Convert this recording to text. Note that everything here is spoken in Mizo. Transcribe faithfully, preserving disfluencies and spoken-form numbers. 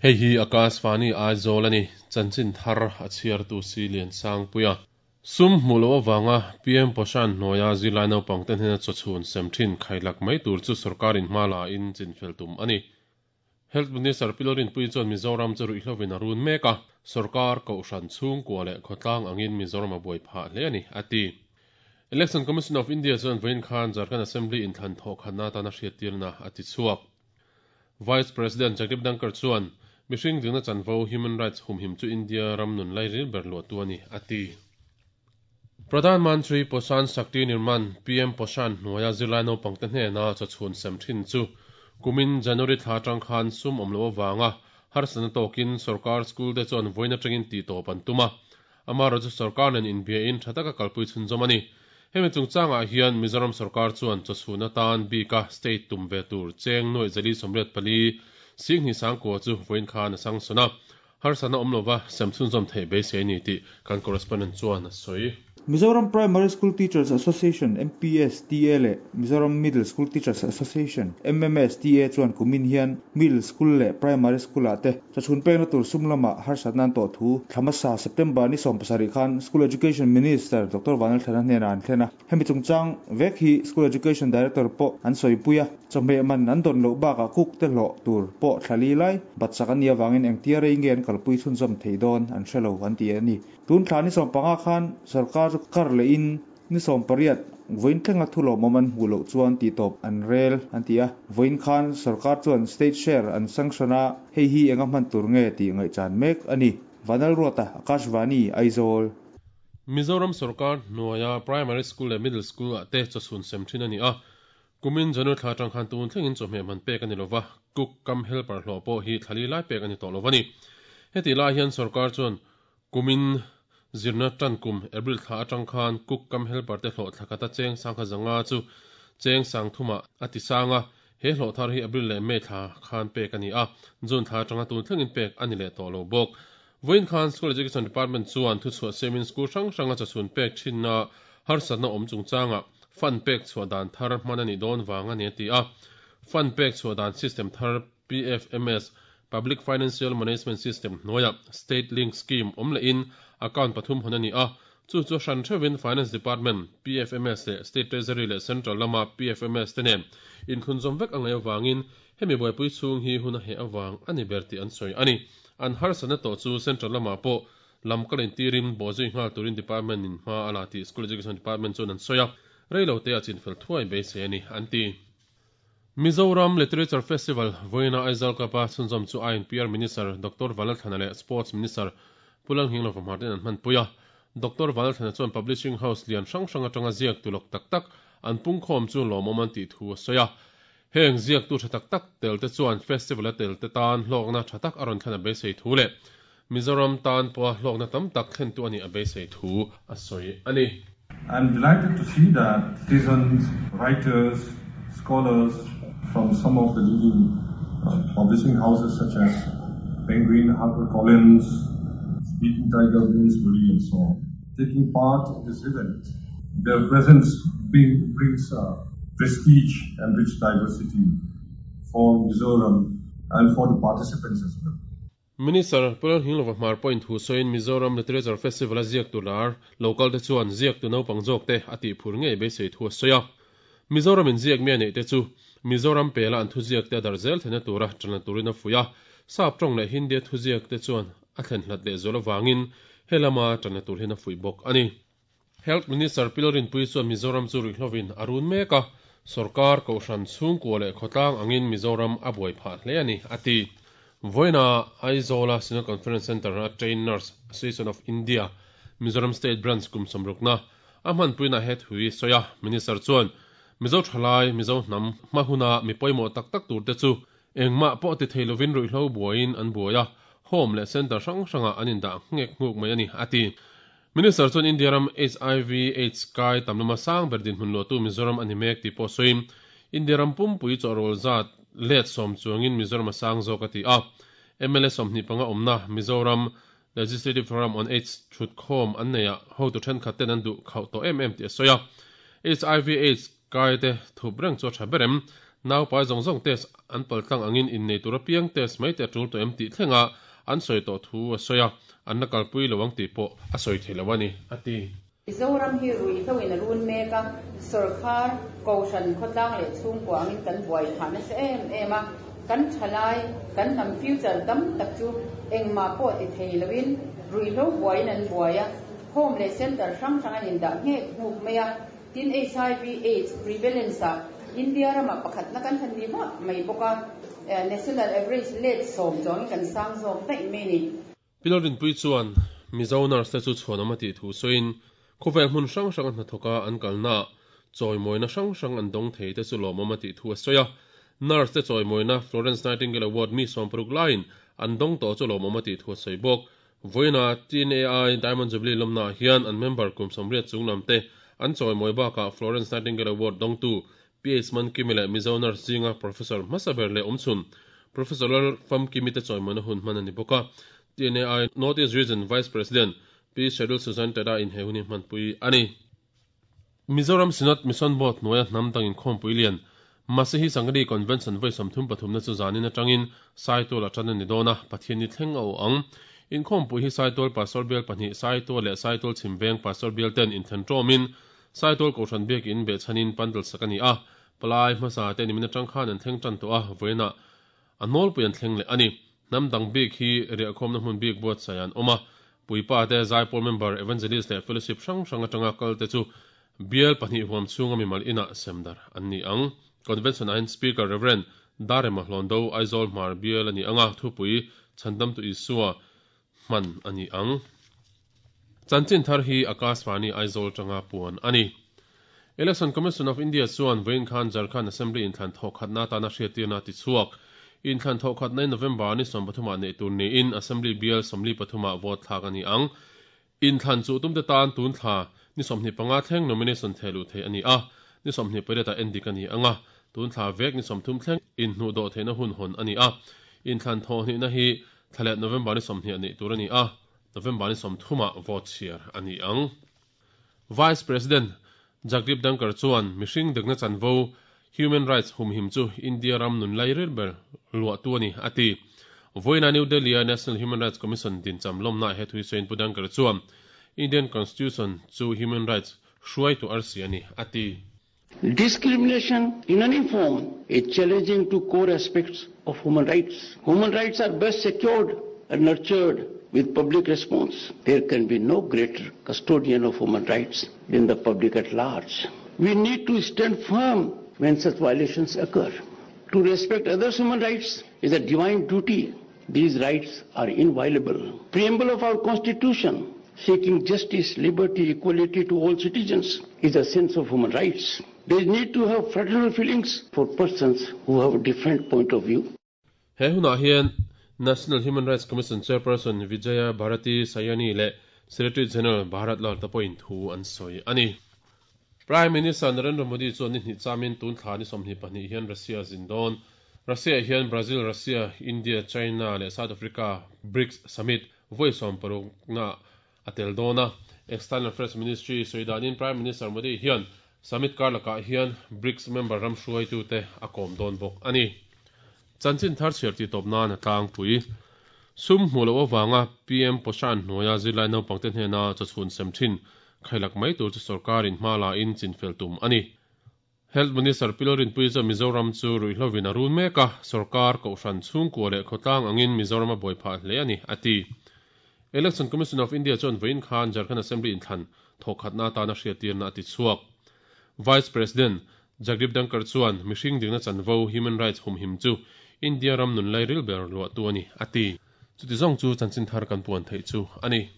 Hei hi Akashvani Aizawl ani chanchin thar a chhiar tu si lian sang puia sum hmulo awanga P M Poshan hnuaia zirlai naupang te hnena chawchhun sem thin khailak mai tur chu sarkarin hma la in chinfel tum ani. Health Minister Pilorin pui chuan Mizoram chu ruihhlovin a run mek a, sarkar kohhran chhungkua leh khawtlang angin Mizoram a buai phah hle ani ati. Election Commission of India chuan vawiin khan Jharkhand Assembly inthlan thawh khatna atana hriattirna a ti chhuak. Vice President Jagdeep Dhankhar chuan mihring dikna chanvo human rights humhim chu India ram nun lai ril ber luah tu ani ati. Pradhan Mantri Poshan Shakti Nirman P M Poshan hnuaia zirlai naupang te hnena chawchhun sem thin chu kumin January thla atang khan sum awm lo awanga harsatna tawkin sarkar school te chuan vawiin atangin tih tawp an tum a. Amaherawhchu chu sarkar nen inbia in tha taka kalpui chhunzawm ani. Hemi chungchangah hian Mizoram sarkar chuan chawchhun atan bika state tum ve tur cheng nuai zali sawmriat pali sing hi sangkua chu vawiin khan a sang sona. Harsatna awm lova sem chhunzawm theih beisei ani tih kan correspondent chuan a sawi. Mizoram Primary School Teachers Association M P S T A le Mizoram Middle School Teachers Association M M S T A chuan kumin hian Middle School le Primary School ah te chawchhun pekna tur sum lama harsatna an tawh thu thlamasa September ni sawm pasarih khan School Education Minister Doctor Vanlalthlana hnena an thlen a. Hemi chungchang vek hi School Education Director pawh an sawi pui a, chawhmeh man an dawn loh bakah cook te hlawh tur pawh thlali lai batsak an nih awangin engtia rei nge an kalpui chhunzawm thei dawn an hrelo an ti ani. Tun thla ni sawm panga khan sarkar chu kar leh in ni sawm pariat vawiin thlenga thu lawmawm an hmuh loh chuan tih tawp an rel an ti a. Vawiin khan sarkar chuan state share an sanction a, hei hi enga hman tur nge tih ngaihchan mek ani. Vanal Ruata, Akashvani, Aizawl. Mizoram sarkar hnuaia primary school leh middle school ah te chawchhun sem thin ani a. Kumin January thla atang khan tun thlengin chawhmeh man pek ani lova, cook kam helper hlawh pawh hi thlali lai pek ani tawh lovani. Heti lai hian sarkar chuan kumin zirna tan kum April thla atang khan cook kam helper te hlawh thlakata cheng sangkha zanga chu cheng sang thuma ati sanga he hlawh thar hi April leh May thla khan pek ani a. June thla atanga tun thlengin pek ani leh tawh lo bawk. Vawiin khan School Education Department chuan thu chhuah semin school hrang hranga chawchhun pek thinna harsatna awm chungchanga fund pek chhuah dan thar hman ani dawn wang ani ati a. Fund pek chhuah dan system thar P F M S Public Financial Management System hnuaia State Link Scheme awm leh in account pathum hon ani a. Chu chu hran theuhin Finance Department P F M S leh State Treasury leh Central lama P F M S te nen inthunzawm vek angai awangin hemi buaipui chhung hi hun a he awang ani ber tih an sawi ani. An harsatna tawh chu Central lama pawh lam kalin tirin bawhzui nghal turin department in hma a la tih School Education Department chuan an sawi a. Reilo te a chinfel thuai beisei ani an ti. Mizoram Literature Festival vawiina Aizawl Club-a chhunzawm chu I N P R Minister Doctor Vanlalthlana leh Sports Minister Pulang Hinglova Martin an hman pui a. Doctor Vanlalthlana chuan Publishing House lian hrang hrang atanga ziak tulawk tak tak an pungkhawm chu lawmawm an tih thu a sawi a. Heng ziak tu tha tak tak tel te chuan festival a tel te tan hlawkna tha tak a rawn thlen a beisei thu leh Mizoram tan pawha hlawkna tam tak thlen tu ani a beisei thu a sawi ani. I'm delighted to see that citizens, writers, scholars from some of the leading, uh, publishing houses such as Penguin, HarperCollins, Speaking Tiger, Bloomsbury and so on, taking part in this event. Their presence bring, brings, uh, prestige and rich diversity for Mizoram and for the participants as well. Minister Pulang Hinglova Hmar Point hu soin Mizoram Literature Festival a ziak tular local te chuan ziak tu naupang zawk te a tih phur ngei beisei thu a sawi a. Mizoram in ziak mi a neih te chu Mizoram pela an thu ziak te a dar zel thena tura tana turin a fui a. Sap tawng leh Hindi thu ziak te chuan a thlen hlat leh zual awangin helama tana tur hin a fui bawk ani. Health Minister Pilorin pui chuan Mizoram chu ruihhlovin a run mek a. Sarkar kohhran chhungkua leh khawtlang angin Mizoram a buai phah hle ani ati. Vawiina Aizawla Synod Conference Center a Trained Nurse Association of India Mizoram State Branch kum sawmrukna a hman puina het hui sawi a. Minister chuan Mizo thalai Mizo hnam hmahuna mi pawimawh tak tak tur te chu engmah pawh ti thei lovin ruihhlo buaiin an buai a. Home leh center hrang hranga an indah ngek nguk mai ani ati. Minister chuan India ram H I V AIDS kai tamlama sang ber din hmun luah tu Mizoram ani mek tih pawh sawiin India ram pumpui chawhrawl zat let sawm chuangin Mizoram a sang zawk a ti a. M L A sawmhnih panga awmna Mizoram Legislative Forum on AIDS thut khom an neia ho tu then khaten an du khau to em em ti soya H I V AIDS kai te thup reng chu tha berem nau pai zong zong test an paltlang angin in nei tura piang test mai te tul to em ti thlenga an soi to thu a soya an na kalpui lowang ti po a soi thelawani ati Mizoram hi rui thawin run meka sarkar koshan khotlang le chung kwangin kan buai thana se em ema kan thalai kan nam future dam tak chu engma po ti theilawin rui lo buai nan buaya home le center sang sang an in da nge huk meya tin H I V AIDS prevalence India rama pakhat na kan han ni ma mai boka national average let som jong kan sang zok dai me ni pilorin pui chuan Mizo nurse chu chhuanama ti thu soin khovel hmun hrang hrang an thoka an kalna chawimoina hrang hrang an dong thei te chu lawmawm a ti thu a sawi a nurse te chawimoina Florence Nightingale Award mi sawmparuk laiin an dong to chu lawmawm a ti thu a sawi bawk voina T N A I Diamond Jubilee lawmna hian an member kum sawmriat chunglam te an chawimoi bakah Florence Nightingale Award dongtu P H Mankimi leh Mizo nurse zinga Professor Masaber leh awmchhun Professor Lal Famkimi te chawimoina hun hman ani bawk a T N A I North East Region Vice President P Shedul Susan Tada in hehuni hmanpui ani Mizoram Synod Mission Board hnuaia hnam dangin khawmpui lian Masihi Sangri Convention voi sawmthum pathum na chu zanin atangin Saitual atan ani dawna Pathian ni thleng a aw ang in khawmpui hi Saitual Pastor Bial pahnih Saitual leh Saitual Chhimveng Pastor Bial ten inthen tawmin Saitual Kohhran biak in behchhanin pandal sak ani a palai hmasa te nimin atang khan an thleng tan tawh a voina a nawlpui an thleng leh ani hnam dang bik hi riahkhawmna hmun bik buatsaih an awm a puipa te Zaipawl member evangelist leh fellowship hrang hrang atanga kal te chu bial pahnih huam chhunga mimal inah semdar an ni ang convention ahin speaker Reverend Darema Hlondo Aizawl Hmar bial ani anga thupui Chhandam tu Isua hman ani ang chanchin thar hi Akashvani Aizawl tanga puan ani Election Commission of India chuan Vain Khan Jharkhand Assembly in thlan thawk khatna tana hriattirna ti chhuak in thlan thawk khatna November ni sawmpathuma nei tur ni in Assembly bial sawmli pathuma vote thlak ani ang in thlan chu tumte tan tun thla ni sawmhnih panga thleng nomination thelu thei ani a ni sawmhnih pariat endik ani anga tun thla vek ni sawmthum thleng in hnu do theina hun hon ani a in thlan thaw hnih na hi thlalet November ni sawmhnih ani tur ani a November ni sawmthuma vote chhiar ani ang Vice President Jagdeep Dhankhar chuan mihring dikna chanvo Human Rights humhim chu India ram nun lai ril ber lua tu ani ati voina New Delhi National Human Rights Commission din cham lomna he thui soin pu Dhankhar chuan Indian Constitution chu human rights hruai tu arsi ani ati Discrimination in any form is challenging to core aspects of human rights. Human rights are best secured and nurtured with public response. There can be no greater custodian of human rights than the public at large. We need to stand firm when such violations occur. To respect others' human rights is a divine duty. These rights are inviolable. Preamble of our Constitution, seeking justice, liberty, equality to all citizens, is a sense of human rights. There is need to have fraternal feelings for persons who have a different point of view. He huna hian National Human Rights Commission Chairperson Vijaya Bharati Sayani le Secretary General Bharat Lal tapoin thu an soi ani. Prime Minister Narendra Modi chuan ni hnih chamin tun thla ni sawmhnih pahnih hian Russia zindon Russia hian Brazil, Russia, India, China le South Africa BRICS Summit voi sawm paruk na atel dona External Affairs Ministry soidanin Prime Minister Modi hian Summit karlaka hian BRICS member ram hruai tu te a kawm dawn bawk ani. Chanchin thar chhiar ti tawp nan a tlang pui sum hmu lo awanga P M Poshan hnuaia zirlai naupang te hnena chawchhun sem thin khailak mai tur chu sarkarin hma la in chinfel tum ani. Health Minister Pilorin pui chu Mizoram chu ruihhlovin a run mek a sarkar kohhran chhungkua leh khawtlang angin Mizoram a buai phah hle ani ati. Election Commission of India chuan vawiin khan Jharkhand Assembly inthlan thawk khatna atana hriattirna a ti chhuak. Vice President Jagdeep Dhankhar chuan mihring dikna chanvo human rights humhim chu India ram nun lai ril ber lua tu ani ati. Chuti zawng chu chanchin thar kan puan theih chu ani.